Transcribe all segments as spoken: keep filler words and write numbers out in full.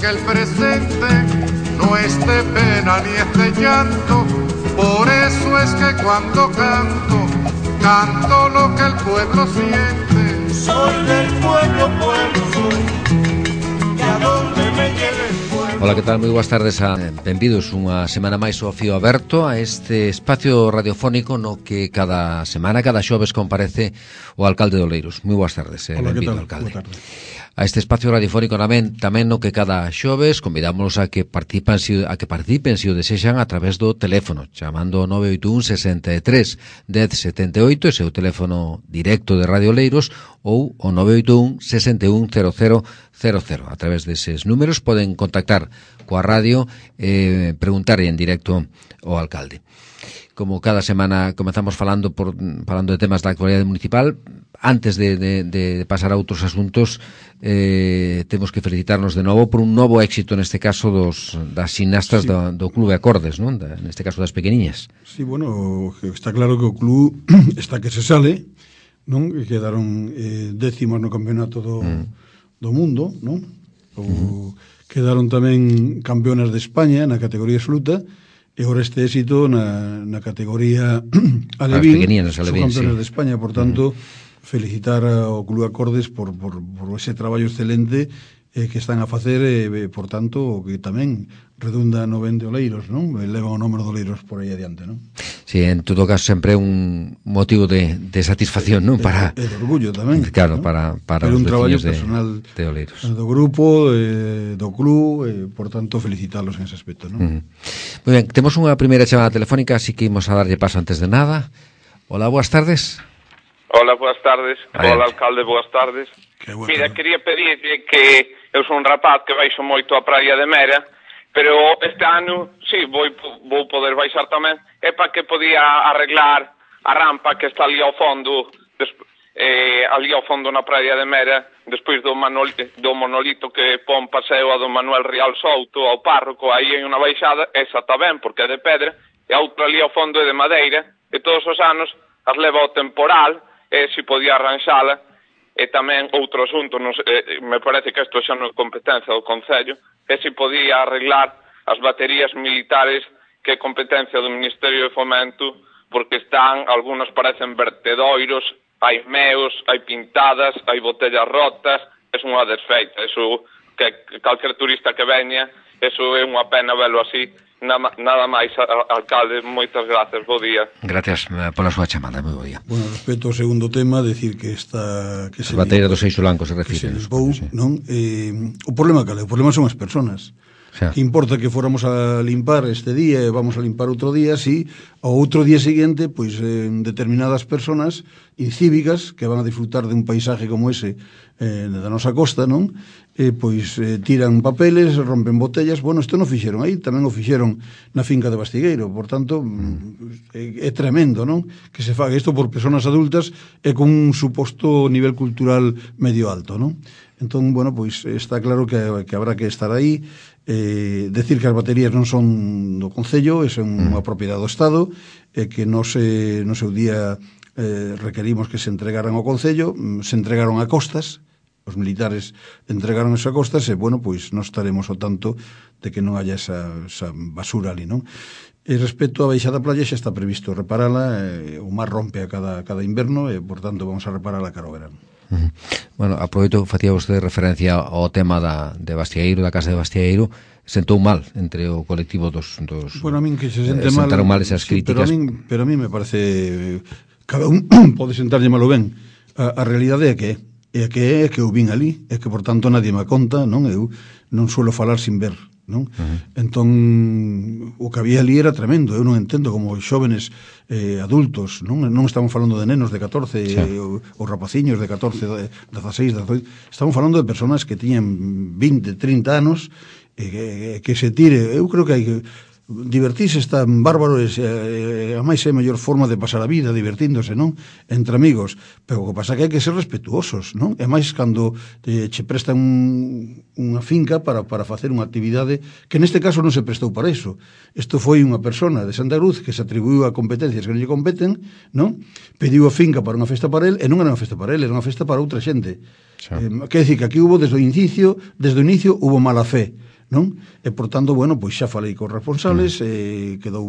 que el presente no es de pena ni es de llanto. Por eso es que cuando canto, canto lo que el pueblo siente. Soy del pueblo, pueblo soy, y a donde me lleve el pueblo. Ola, que tal? Moi boas tardes a benvidos unha semana máis ao Fío Aberto, a este espacio radiofónico no que cada semana, cada xoves comparece o alcalde de Oleiros. Moi boas tardes, eh, Ola, benvido, que tal? alcalde. Boa tarde. A este espacio radiofónico tamén, tamén no que cada xoves convidámonos a que participen si, a que participen se o desexan a través do teléfono, chamando ao nove oito un sesenta e tres dez setenta e oito, ese é o teléfono directo de Radio Oleiros, ou o nove oito un sesenta e un cero cero cero cero. A través deses números poden contactar coa radio e eh, preguntar en directo ao alcalde. Como cada semana comezamos falando por falando de temas da actualidade municipal, antes de, de, de pasar a outros asuntos, eh, temos que felicitarnos de novo por un novo éxito, neste caso dos das ximnastas sí. do, do Clube Acordes, non? Da, neste caso das pequeniñas. Sí, bueno, está claro que o club está que se sale, non? Que quedaron eh, décimos no campeonato do, mm. do mundo, non? O, mm-hmm. Quedaron tamén campeonas de España na categoría absoluta. E ahora este éxito na, na categoría alevín, son campeones sí. de España, por tanto, uh-huh. felicitar ao Club Acordes por, por, por ese traballo excelente eh, que están a facer, e, eh, por tanto, que tamén redunda no ben de Oleiros, non? Leva o número de Oleiros por aí adiante, non? Sí, en todo caso, sempre un motivo de, de satisfacción, non? Para, e de orgullo tamén. Claro, ¿no? para, para Pero os un traballo veciños personal de, de Oleiros. Do grupo, eh, do club, eh, por tanto, felicitarlos en ese aspecto, non? Uh-huh. Moi ben, temos unha primeira chamada telefónica, así que imos a darlle paso antes de nada. Hola, boas tardes. Hola, boas tardes. Adelante. Hola, alcalde, boas tardes. Mira, tarde. quería pedirle que eu son un rapaz que baixo moito a praia de Mera, pero este ano, sí, vou, vou poder baixar tamén, é para que podía arreglar a rampa que está ali ao fondo, desp- eh, ali ao fondo na praia de Mera, despois do, manol- do monolito que pon paseo a do Manuel Rial Souto ao párroco, aí hai unha baixada, esa está ben, porque é de pedra, e a outra ali ao fondo é de madeira, e todos os anos as leva ao temporal, e se podía arranxala. E tamén outro asunto, non sei, eh, me parece que isto xa non é competencia do Concello, é se podía arreglar as baterías militares que é competencia do Ministerio de Fomento, porque están, algunhas parecen vertedoiros, hai meos, hai pintadas, hai botellas rotas, é unha desfeita, eso que calquer turista que veña, eso é unha pena velo así. Nada, nada máis, alcalde, moitas gracias, bo día. Gracias pola súa chamada, moi bo día. Bueno, respecto ao segundo tema, decir que esta que se batería do Seixo Blanco se refire. Se limpou, sí. non? Eh, o problema cal é? O problema son as persoas. Xa. Que importa que fóramos a limpar este día e vamos a limpar outro día, si ao outro día seguinte, pois eh, determinadas persoas incívicas que van a disfrutar de un paisaje como ese eh, da nosa costa, non? Eh, pois eh, tiran papeles, rompen botellas. Bueno, isto non fixeron aí, tamén o fixeron na finca de Bastigueiro, por tanto mm. é, é tremendo, non? Que se faga isto por persoas adultas e con un suposto nivel cultural medio alto, non? Entón, bueno, pois está claro que, que habrá que estar aí, eh, decir que as baterías non son do Concello, é unha propiedade do Estado, e que no se, no seu día eh, requerimos que se entregaran ao Concello, se entregaron a costas, os militares entregaron eso a costas, e, bueno, pois non estaremos ao tanto de que non haya esa, esa basura ali, non? E respecto á baixada playa xa está previsto reparala, eh, o mar rompe a cada, cada inverno, e, por tanto, vamos a reparala cara ao verano. Uh-huh. Bueno, aproveito, facía vostede referencia ao tema da, de Bastieiro, da casa de Bastieiro. Sentou mal entre o colectivo dos, dos bueno, a min que se sente eh, mal, sentaron mal esas sí, críticas. Pero a min, pero a min me parece, cada un pode sentarlle malo ben. A, a realidade é que é que é que eu vin ali, é que por tanto nadie me conta, non? Eu non suelo falar sin ver, non? Uh-huh. Entón o que había ali era tremendo. Eu non entendo como os xóvenes eh, adultos, non non estamos falando de nenos de catorce, sí. eh, ou, ou rapaciños de catorce, dezaseis, dezaoito, estamos falando de persoas que tiñan vinte, trinta anos, e que, que se tire. Eu creo que hai que divertirse, está bárbaro, e, e a máis é a mellor forma de pasar a vida divertíndose, non? Entre amigos, pero o que pasa é que hai que ser respetuosos, non? E máis cando te, che prestan un, unha finca para, para facer unha actividade que neste caso non se prestou para iso. Isto foi unha persona de Santa Cruz que se atribuiu a competencias que non lle competen, non? Pediu a finca para unha festa para el, e non era unha festa para el, era unha festa para outra xente. Eh, quer dizer que aquí hubo desde o inicio, desde o inicio hubo mala fe. non? E, por tanto, bueno, pois xa falei cos responsables, mm. eh, quedou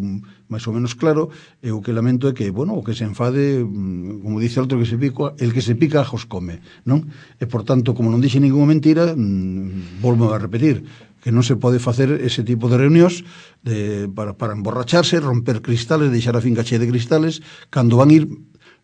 máis ou menos claro, e o que lamento é que, bueno, o que se enfade, como dice outro, que se pica, el que se pica ajos come, non? E, por tanto, como non dixe ninguna mentira, mmm, volvo a repetir, que non se pode facer ese tipo de reunións de, para, para emborracharse, romper cristales, deixar a finca chea de cristales, cando van ir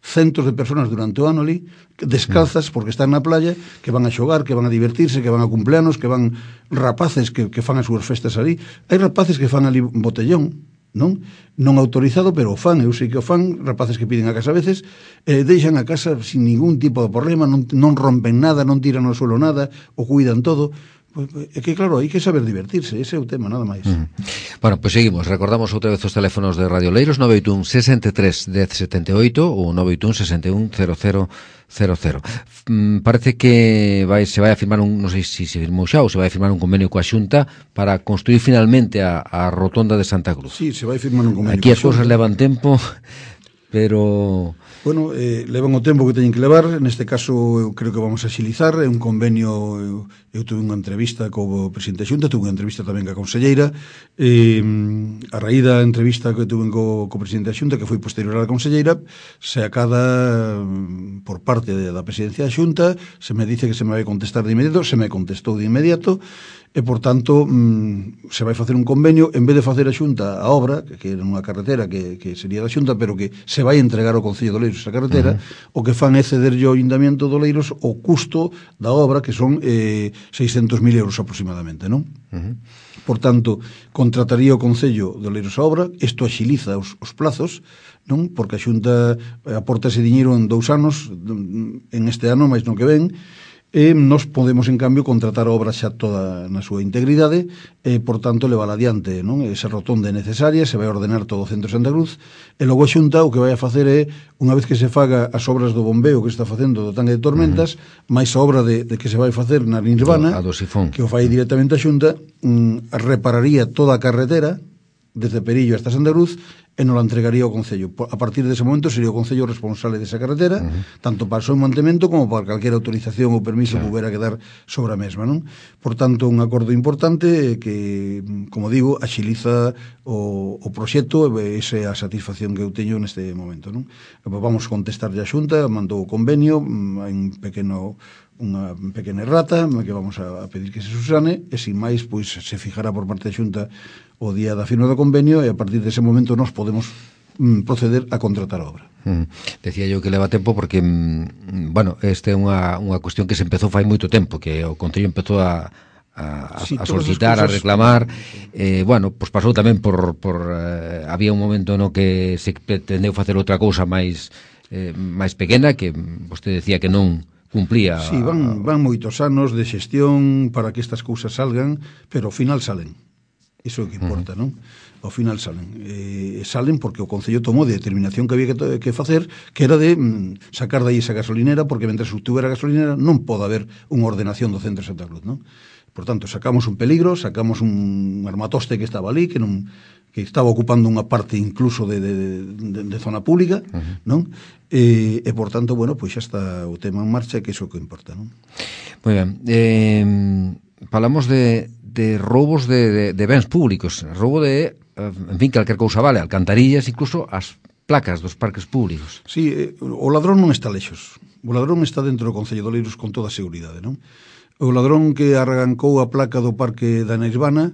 centos de personas durante o ano ali, descalzas, porque están na playa, que van a xogar, que van a divertirse, que van a cumpleanos, que van rapaces que, que fan as súas festas ali. Hai rapaces que fan ali botellón, non? Non autorizado, pero o fan, eu sei que o fan, rapaces que piden a casa a veces, eh, deixan a casa sin ningún tipo de problema, non, non rompen nada, non tiran ao suelo nada, o cuidan todo. Pues, é que claro, hai que saber divertirse, ese é o tema, nada máis. Mm. Bueno, pois pues seguimos, recordamos outra vez os teléfonos de Radio Oleiros, nove oito un, sesenta e tres, dez setenta e oito ou nove oito un, sesenta e un, cero cero cero cero. Mm, parece que vai, se vai a firmar un, non sei se se firmou xa ou se vai a firmar un convenio coa Xunta para construir finalmente a, a rotonda de Santa Cruz. Sí, se vai a firmar un convenio. Aquí as cousas levan tempo, pero... Bueno, eh, levan o tempo que teñen que levar, neste caso eu creo que vamos a xilizar, é un convenio, eu, eu tuve unha entrevista co presidente da Xunta, tuve unha entrevista tamén ca conselleira, eh, a raíz da entrevista que tuve co, co presidente da Xunta, que foi posterior á conselleira, se acada por parte de, da presidencia da Xunta, se me dice que se me vai contestar de inmediato, se me contestou de inmediato, e, por tanto, mm, se vai facer un convenio, en vez de facer a Xunta a obra, que, que era unha carretera que, que sería da Xunta, pero que se vai entregar ao Concello de Oleiros esa carretera, uh-huh. o que fan é cederlle ao Ayuntamiento de Oleiros o custo da obra, que son eh, seiscentos mil euros aproximadamente, non? Uh-huh. Por tanto, contrataría o Concello de Oleiros a obra, isto axiliza os, os plazos, non? Porque a Xunta aporta ese diñeiro en dous anos, en este ano, máis non que ven, e nos podemos, en cambio, contratar a obra xa toda na súa integridade e, por tanto, levar adiante, non? Esa rotonda é necesaria, se vai ordenar todo o centro de Santa Cruz e logo a Xunta o que vai a facer é, unha vez que se faga as obras do bombeo que se está facendo do tanque de tormentas, uh-huh. máis a obra de, de que se vai facer na Nirvana, a do sifón, que o fai directamente a Xunta, mm, repararía toda a carretera desde Perillo hasta Santa Cruz e non la entregaría ao Concello. A partir dese momento sería o Concello responsable desa carretera, uh-huh. tanto para o seu mantemento como para calquera autorización ou permiso claro. que houbera que dar sobre a mesma, non? Por tanto, un acordo importante que, como digo, axiliza o, o proxecto e esa é a satisfacción que eu teño neste momento, non? Vamos contestar a Xunta, mandou o convenio, en pequeno unha pequena errata que vamos a pedir que se susane e sin máis pois se fijará por parte da Xunta o día da firma do convenio e a partir dese momento nos podemos mm, proceder a contratar a obra. Mm. Decía yo que leva tempo porque mm, bueno, este é unha, unha cuestión que se empezou fai moito tempo, que o Concello empezou a a, sí, a solicitar, cosas... a reclamar, eh, bueno, pois pasou tamén por, por eh, había un momento no que se pretendeu facer outra cousa máis eh, máis pequena que vostede decía que non cumplía. Sí, van, van moitos anos de xestión para que estas cousas salgan, pero ao final salen. Iso é o que importa, uh-huh. non? Ao final salen. Eh, salen porque o Concello tomou de determinación que había que, que facer, que era de mm, sacar dai esa gasolinera, porque mentre estuviera a gasolinera non pode haber unha ordenación do centro de Santa Cruz, non? Por tanto, sacamos un peligro, sacamos un armatoste que estaba ali, que non que estaba ocupando unha parte incluso de, de, de, de zona pública, uh-huh. non? E, e, por tanto, bueno, pois xa está o tema en marcha, que iso que importa, non? Moi ben. Eh, falamos de, de roubos de, de, de bens públicos, roubo de, en fin, calquer cousa vale, alcantarillas, incluso as placas dos parques públicos. Sí, eh, o ladrón non está lexos. O ladrón está dentro do Concello de Oleiros con toda a seguridade, non? O ladrón que arrancou a placa do parque da Nirvana,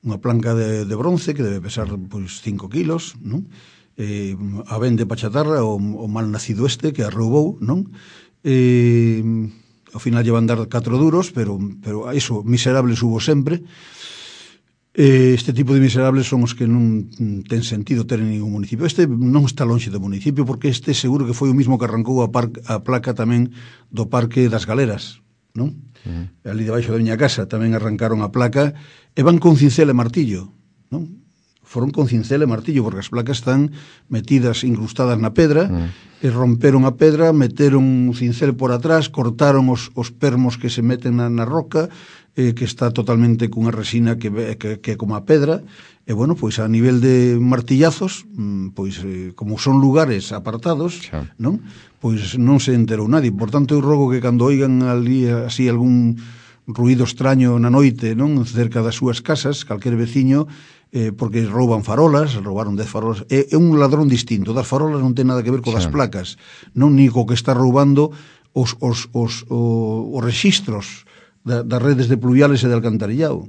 unha planca de, de bronce que debe pesar pois cinco kilos, non? Eh, a vende pa chatarra o, o mal nacido este que a roubou, non? Eh, ao final llevan dar catro duros, pero, pero iso, miserables hubo sempre. Eh, este tipo de miserables son os que non ten sentido ter en ningún municipio. Este non está lonxe do municipio, porque este seguro que foi o mismo que arrancou a, par, a placa tamén do Parque das Galeras, non? Uh-huh. Ali debaixo da miña casa tamén arrancaron a placa e van con cincel e martillo, non? Foron con cincel e martillo porque as placas están metidas, incrustadas na pedra, uh-huh. e romperon a pedra, meteron un cincel por atrás, cortaron os, os permos que se meten na, na roca, eh, que está totalmente cunha resina que, que, que é como a pedra, e bueno, pois a nivel de martillazos, pois eh, como son lugares apartados, xa. Non? Pois non se enterou nadie. Por tanto, eu rogo que cando oigan ali así algún ruído extraño na noite, non, cerca das súas casas, calquer veciño, eh, porque rouban farolas, roubaron dez farolas, é, é un ladrón distinto, das farolas non ten nada que ver co das placas, non, ni co que está roubando os, os, os, os, os registros da, das redes de pluviales e de alcantarillado.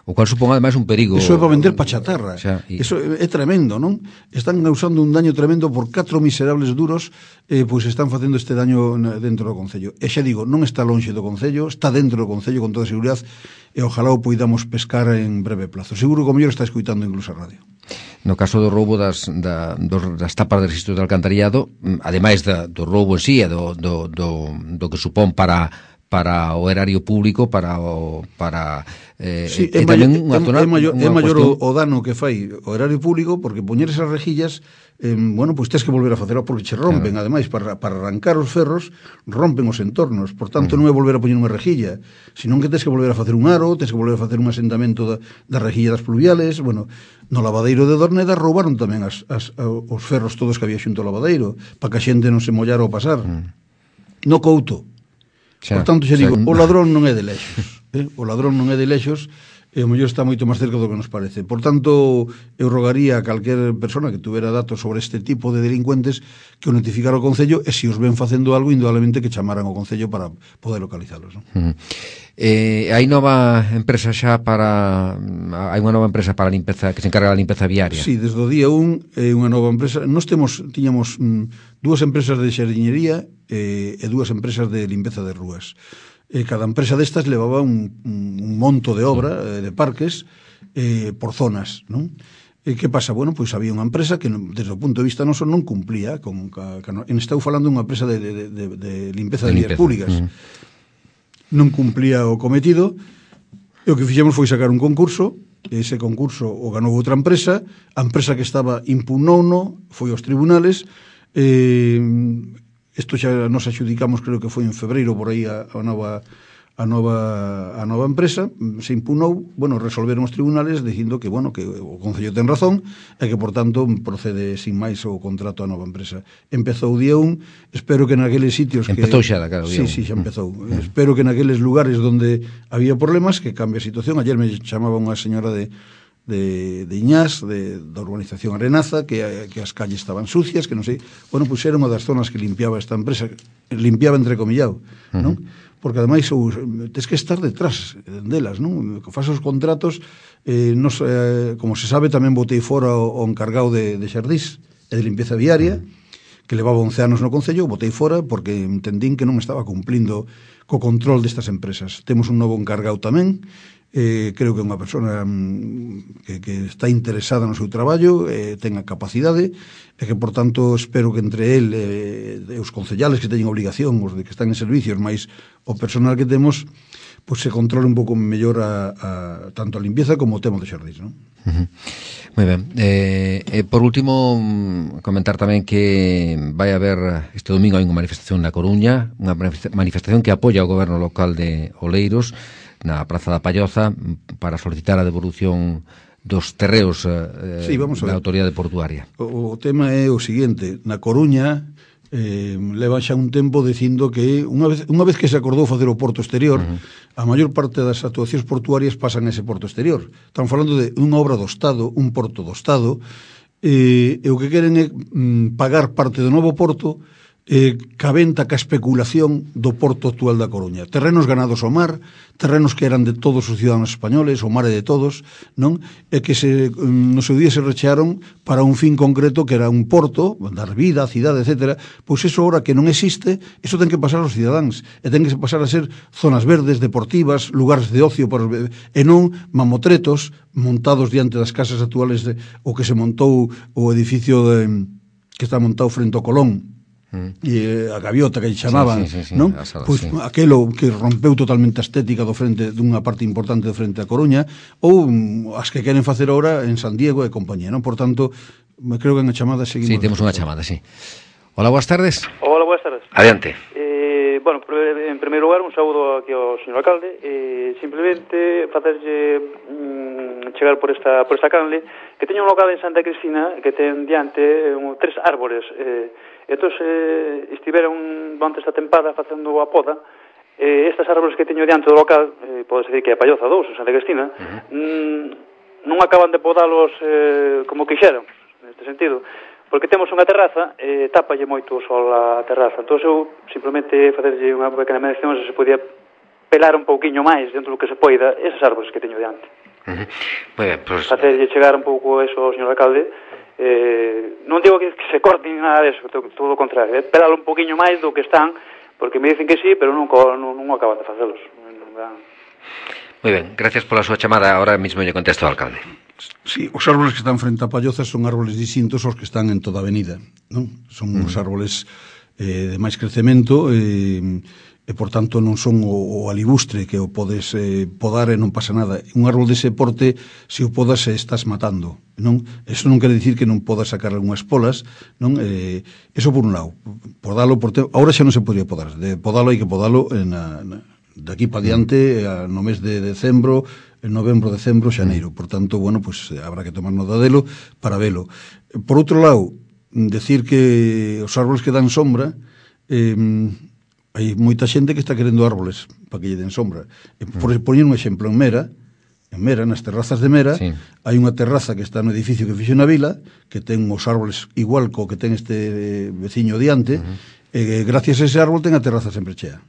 O cual supón ademais un perigo. Eso é para vender pa chatarra. Xa, y... Eso é, é tremendo, non? Están causando un daño tremendo por catro miserables duros, eh, pois están facendo este daño dentro do Concello. E xa digo, non está lonxe do Concello, está dentro do Concello con toda a seguridade, e ojalá o poidamos pescar en breve plazo. Seguro que o mellor está escuitando incluso a radio. No caso do roubo das, da, dos, das tapas de registros de alcantarillado, ademais da, do roubo en sí e do, do, do, do que supón para para o erario público, para o para eh, sí, e, é, tamén mayor, unha zona, é maior, é maior cuestión... o, o dano que fai o erario público, porque poñer esas rejillas, eh, bueno, pois pues tes que volver a facelo porque che rompen, claro. Ademais, para, para arrancar os ferros rompen os entornos, por tanto uh -huh. non é volver a poñer unha rejilla, senón que tes que volver a facer un aro, tes que volver a facer un asentamento da, da rejilla das pluviales. Bueno, no lavadeiro de Dorneda roubaron tamén as, as, os ferros todos que había xunto ao lavadeiro, para que a xente non se mollara ao pasar. Uh -huh. No Couto. Xa, por tanto, xa digo, xa... o ladrón non é de lexos, eh? O ladrón non é de lexos, e o mellor está moito máis cerca do que nos parece. Por tanto, eu rogaría a calquer persona que tuvera datos sobre este tipo de delincuentes que o notificara ao Concello, e se os ven facendo algo, indudablemente que chamaran ao Concello para poder localizalos, non? Uh -huh. Eh, hai nova empresa xa para hai unha nova empresa para a limpeza que se encarga da limpeza viaria. Sí, desde o día un é eh, unha nova empresa. Nós temos tiñamos mm, dúas empresas de xardiñería eh, e dúas empresas de limpeza de rúas. Eh, cada empresa destas levaba un, un monto de obra eh, de parques eh, por zonas, non? E que pasa? Bueno, pois había unha empresa que desde o punto de vista noso non cumplía con, ca, ca, en estou falando unha empresa de, de, de, de limpeza de, de vías públicas. Uh -huh. Non cumplía o cometido, e o que fixemos foi sacar un concurso. Ese concurso o ganou outra empresa, a empresa que estaba impugnouno, foi aos tribunales. Eh, isto xa nos adxudicamos, creo que foi en febreiro por aí a, a nova a nova a nova empresa, se impugnou, bueno, resolveron os tribunales dicindo que, bueno, que o Concello ten razón e que, por tanto, procede sin máis o contrato a nova empresa. Empezou o día un, espero que naqueles sitios que... Empezou xa, claro, día un. Sí, sí, xa empezou. Mm. Espero que naqueles lugares donde había problemas, que cambie a situación. Ayer me chamaba unha señora de de, de Iñás, de, da urbanización Arenaza, que, que as calles estaban sucias, que non sei... Bueno, pois era unha das zonas que limpiaba esta empresa, limpiaba entrecomillado, uh-huh. non? Porque ademais ou, tes que estar detrás delas, non? Que faz os contratos, eh, nos, eh, como se sabe, tamén botei fora o, o encargado de, de xardís e de limpieza viaria, que levaba once anos no Concello, botei fora porque entendín que non estaba cumplindo co control destas empresas. Temos un novo encargado tamén, eh, creo que é unha persona mm, que, que está interesada no seu traballo, eh, ten a capacidade, e que, por tanto, espero que entre el e eh, os concellales que teñen obligación, os de que están en servicios, máis o personal que temos, pois se controle un pouco mellor a, a, tanto a limpieza como o tema de xardís, non? Uh -huh. Moi ben. Eh, eh, por último, comentar tamén que vai haber este domingo hai unha manifestación na Coruña, unha manifestación que apoia o goberno local de Oleiros na Praza da Palloza para solicitar a devolución dos terreos eh, sí, da autoridade portuaria. O, o tema é o seguinte, na Coruña eh, leva xa un tempo dicindo que unha vez, unha vez que se acordou facer o porto exterior, uh -huh. a maior parte das actuacións portuarias pasan a ese porto exterior. Están falando de unha obra do Estado, un porto do Estado, eh, e o que queren é mm, pagar parte do novo porto eh, cabenta ca especulación do porto actual da Coruña. Terrenos ganados ao mar, terrenos que eran de todos os ciudadanos españoles, o mar é de todos, non? E que se, no seu día se rechearon para un fin concreto que era un porto, dar vida a cidade, etcétera. Pois eso ahora que non existe, eso ten que pasar aos cidadáns, e ten que pasar a ser zonas verdes, deportivas, lugares de ocio, para, e non mamotretos montados diante das casas actuales de, o que se montou o edificio de, que está montado frente ao Colón, Mm. e a gaviota que lle chamaban, sí, sí, sí, sí, non? Sala, pois sí. Aquelo que rompeu totalmente a estética do frente dunha parte importante do frente a Coruña, ou um, as que queren facer ahora en San Diego e compañía, non? Por tanto, me creo que en a chamada seguimos. Sí, temos unha chamada, sí. Hola, boas tardes. Hola, boas tardes. Adiante. Eh, bueno, en primeiro lugar, un saúdo aquí ao señor alcalde, eh, simplemente facerlle mm, chegar por esta por esta canle que teña un local en Santa Cristina que ten diante um, tres árbores, eh, entón, eh, estiveron durante esta tempada facendo a poda, eh, estas árboles que teño diante do local, eh, pode ser que é a Palloza dous, en Santa Cristina, uh-huh. mm, non acaban de podalos eh, como quixeron, neste sentido, porque temos unha terraza e eh, tápalle moito o sol a terraza. Entón eu simplemente facerlle unha pequena mención se se podía pelar un pouquiño máis dentro do que se poida esas árboles que teño diante. Uh-huh. Pues, pues... Facerlle chegar un pouco eso ao señor alcalde. Eh, non digo que, que se corten nada deso, todo o contrario, eh, pelalo un pouquiño máis do que están, porque me dicen que sí, pero non, non, non acaban de facelos. Non dan... Moi ben, gracias pola súa chamada. Ahora mismo lle contesto ao alcalde. Sí, os árboles que están frente a Palloza son árboles distintos aos que están en toda a avenida, non? Son mm. os árboles eh, de máis crecemento e, e, por tanto, non son o, o alibustre que o podes eh, podar e non pasa nada. Un árbol dese porte, se o podas, se estás matando, non? Eso non quere dicir que non podas sacar algunhas polas, non? Eh, eso por un lado. Podalo, por te... Ahora xa non se podría podar. De podalo hai que podalo en a, na, de aquí para diante, mm. no mes de decembro, en novembro, decembro, xaneiro. Por tanto, bueno, pues habrá que tomar nota delo para velo. Por outro lado, decir que os árboles que dan sombra, eh, hai moita xente que está querendo árboles para que lle den sombra. Por poñer un exemplo, en Mera, en Mera, nas terrazas de Mera, sí. hai unha terraza que está no edificio que fixo na vila, que ten os árboles igual co que ten este veciño diante, uh-huh. e gracias a ese árbol ten a terraza sempre chea,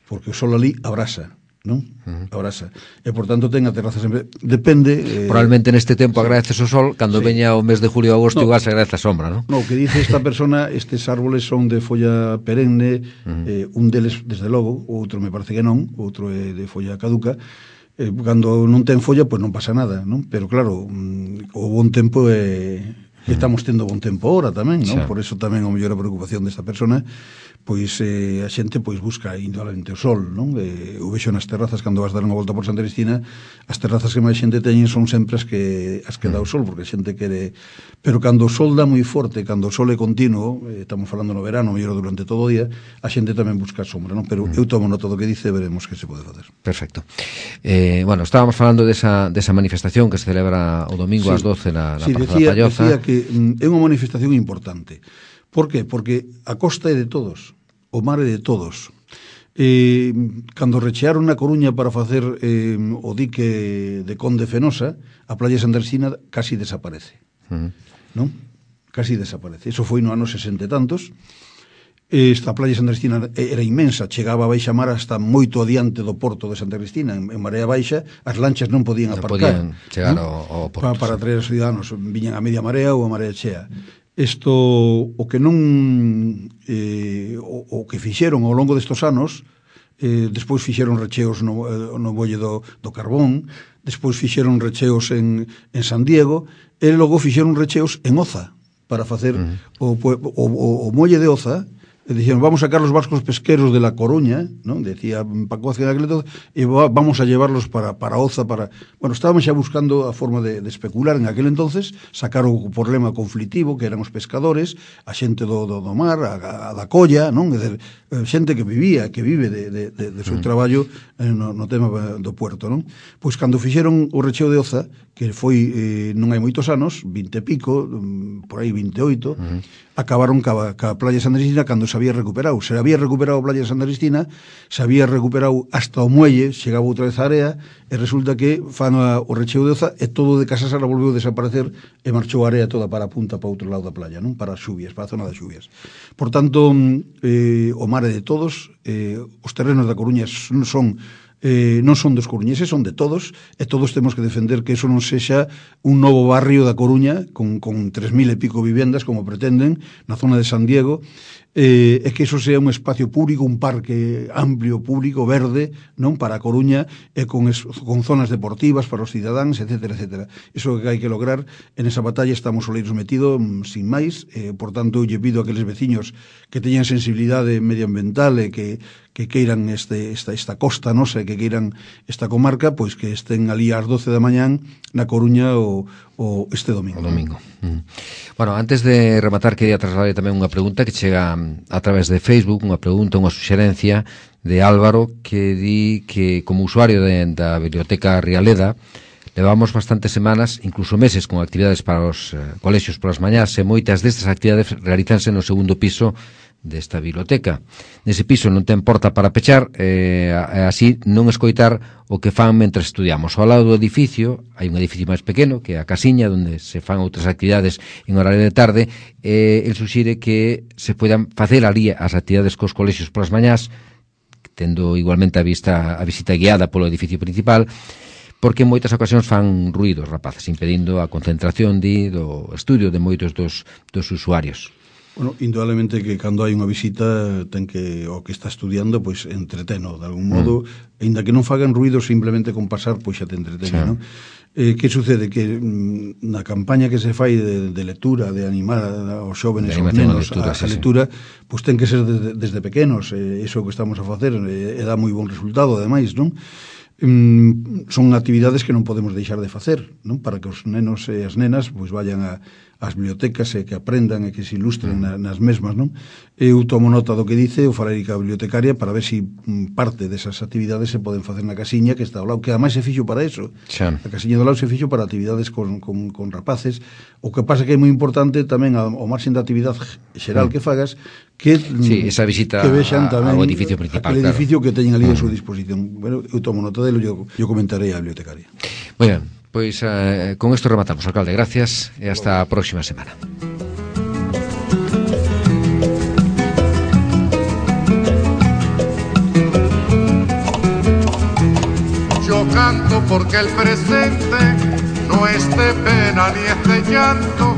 porque o sol ali abrasa, non? Uh-huh. Abrasa. E, por tanto, ten a terraza sempre... Depende... Eh... Probablemente neste tempo agradeces o sol, cando sí. veña o mes de julio ou agosto, no, igual se agradece a sombra, non? No, o que dice esta persona, estes árboles son de folla perenne, uh-huh. eh, un deles, desde logo, o outro me parece que non, o outro é de folla caduca. Eh, cando non ten folla, pois pues non pasa nada, non? Pero, claro, mm, o bon tempo é... Uh-huh. Estamos tendo bon tempo ahora tamén, non? Sí. Por eso tamén o mellor a preocupación desta persona, pois eh, a xente pois busca indudablemente o sol, non? Eh, eu vexo nas terrazas cando vas dar unha volta por Santa Cristina, as terrazas que máis xente teñen son sempre as que as que dá o sol, porque a xente quere, pero cando o sol dá moi forte, cando o sol é continuo, eh, estamos falando no verano, mellor durante todo o día, a xente tamén busca sombra, non? Pero eu tomo nota do que dice, veremos que se pode facer. Perfecto. Eh, bueno, estábamos falando desa desa manifestación que se celebra o domingo sí. ás doce na, na sí, Praza decía, da Palloza. Decía que mm, é unha manifestación importante. Por qué? Porque a costa é de todos, o mar é de todos. Eh, cando rechearon na Coruña para facer eh, o dique de Conde Fenosa, a playa de Santa Cristina casi desaparece. Uh-huh. Non? Casi desaparece. Eso foi no ano sesenta e tantos. Esta playa de Santa Cristina era inmensa, chegaba a baixa mar hasta moito adiante do porto de Santa Cristina, en, en marea baixa, as lanchas non podían aparcar. Non podían chegar ¿no? ao, ao porto. Para, para traer os ciudadanos, viñan a media marea ou a marea chea. Isto, o que non eh, o, o que fixeron ao longo destos anos, eh, despois fixeron recheos no, no bolle do, do Carbón, despois fixeron recheos en, en San Diego, e logo fixeron recheos en Oza, para facer uh-huh. o, o, o, o molle de Oza. E dixeron, vamos a sacar los barcos pesqueros de La Coruña, ¿no? Decía Paco Azquena Agleto, e vamos a llevarlos para, para Oza, para... Bueno, estábamos xa buscando a forma de, de especular en aquel entonces, sacar o problema conflictivo, que eran os pescadores, a xente do, do, do mar, a, a da colla, non? É dizer, xente que vivía, que vive de, de, de, de seu traballo no, no tema do puerto, non? Pois cando fixeron o recheo de Oza, que foi, eh, non hai moitos anos, vinte e pico, por aí vinte e oito, uh-huh. acabaron ca, ca playa de Santa Cristina cando se había recuperado. Se había recuperado a playa de Santa Cristina, se había recuperado hasta o muelle, chegaba outra vez a area, e resulta que fan a, o recheo de Oza, e todo de Casasara volveu a desaparecer, e marchou a area toda para a punta, para outro lado da playa, non? Para as xuvias, para a zona das xuvias. Por tanto, eh, o mar é de todos, eh, os terrenos da Coruña son... son Eh, non son dos coruñeses, son de todos, e todos temos que defender que eso non sexa un novo barrio da Coruña con, con tres mil e pico vivendas como pretenden na zona de San Diego, eh, e que eso sea un espacio público, un parque amplio, público, verde, non, para a Coruña, e con, es, con zonas deportivas para os cidadáns, etcétera, etcétera. Iso que hai que lograr, en esa batalla estamos oleiros metidos sin máis, eh, por tanto, lle pido a aqueles veciños que teñan sensibilidade medioambiental e que que queiran este, esta, esta costa nosa, que queiran esta comarca, pois que estén ali ás doce da mañán na Coruña o, o este domingo. O domingo. Mm. Bueno, antes de rematar, quería trasladar tamén unha pregunta que chega a través de Facebook, unha pregunta, unha suxerencia de Álvaro, que di que como usuario de, da Biblioteca Rialeda Levamos bastantes semanas, incluso meses, con actividades para os eh, colexios polas mañás, e moitas destas actividades realízanse no segundo piso desta biblioteca. Nese piso non ten porta para pechar, e eh, así non escoitar o que fan mentre estudiamos. Ao lado do edificio, hai un edificio máis pequeno, que é a casiña, onde se fan outras actividades en horario de tarde, e el suxire que se poidan facer ali as actividades cos colexios polas mañás, tendo igualmente a vista a visita guiada polo edificio principal, porque en moitas ocasións fan ruidos, rapaces, impedindo a concentración di, do estudio de moitos dos, dos usuarios. Bueno, indudablemente que cando hai unha visita ten que, o que está estudiando, pois entreteno, de algún modo, mm. ainda que non fagan ruido, simplemente con pasar, pois xa te entretene, sí. Non? Eh, que sucede? Que mm, na campaña que se fai de, de lectura, de animar aos xóvenes, aos nenos a, a lectura, sí, pois ten que ser desde, desde pequenos, eh, iso que estamos a facer, eh, e dá moi bon resultado, ademais, non? Mm, son actividades que non podemos deixar de facer, non? Para que os nenos e as nenas pois vayan a as bibliotecas e que aprendan e que se ilustren na, nas mesmas, non? Eu tomo nota do que dice, o falarei ca bibliotecaria para ver se si parte desas actividades se poden facer na casiña que está ao lado, que ademais se fixo para eso. Xa. A casiña do lado se fixo para actividades con, con, con rapaces. O que pasa que é moi importante tamén ao marxen da actividade xeral mm. que fagas, que sí, esa visita que vexan tamén ao edificio principal, aquele claro, edificio que teñen ali mm. a súa disposición. Bueno, eu tomo nota delo, eu, eu comentarei á bibliotecaria. Moi ben. Pois eh, con isto rematamos, alcalde. Gracias e hasta a próxima semana. Yo canto porque el presente no es de pena ni es de llanto,